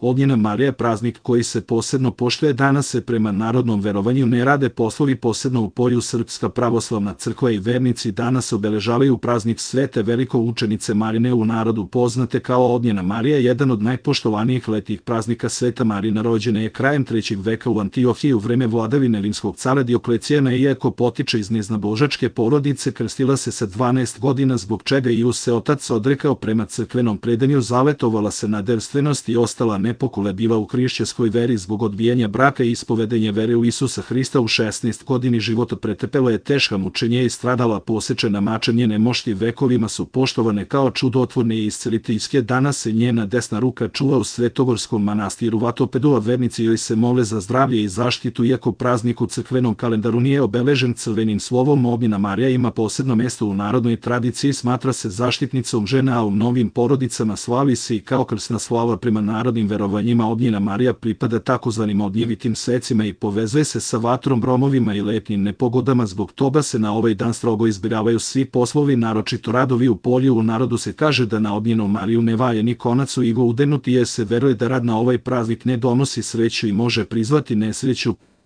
Ognjena Marija je praznik koji se posebno poštuje. Danas se prema narodnom verovanju ne rade poslovi, posebno u polju. Srpska pravoslavna crkva i vernici danas obeležavaju praznik Svete velikoučenice Marine, u narodu poznate kao Ognjena Marija. Jedan od najpoštovanijih letnjih praznika. Sveta Marina rođena je krajem 3. veka u Antiohiji u vreme vladavine rimskog cara Dioklecijana, iako potiče iz neznabožačke porodice, krstila se sa 12 godina, zbog čega ju se otac odrekao. Prema crkvenom predanju zavetovala se na devstvenost i ostala nepokolebljiva u hrišćanskoj veri. Zbog odbijanja braka i ispovedenja vere u Isusa Hrista u 16 godini života pretrpela je teška mučenja i stradala posečena mačem. Njene mošti vekovima su poštovane kao čudotvorne i isceliteljske. Danas se njena desna ruka čuva u Svetogorskom manastiru Vatopedu, a vernici joj se mole za zdravlje i zaštitu. Iako praznik u crkvenom kalendaru nije obeležen crvenim slovom, Ognjena Marija ima posebno mesto u narodnoj tradiciji. Smatra se zaštitnicom žena, a u mnogim porodicama slavi se i kao krsna slava. Prema narodnim verovanjima Ognjena Marija pripada takozvanim ognjevitim svecima i povezuje se sa vatrom, gromovima i letnjim nepogodama. Zbog toga se na ovaj dan strogo izbjegavaju svi poslovi, naročito radovi u polju. U narodu se kaže da na Ognjenu Mariju ne vaje ni konac u iglu udenuti, jer se veruje da rad na ovaj praznik ne donosi sreću i može prizvati nesreću.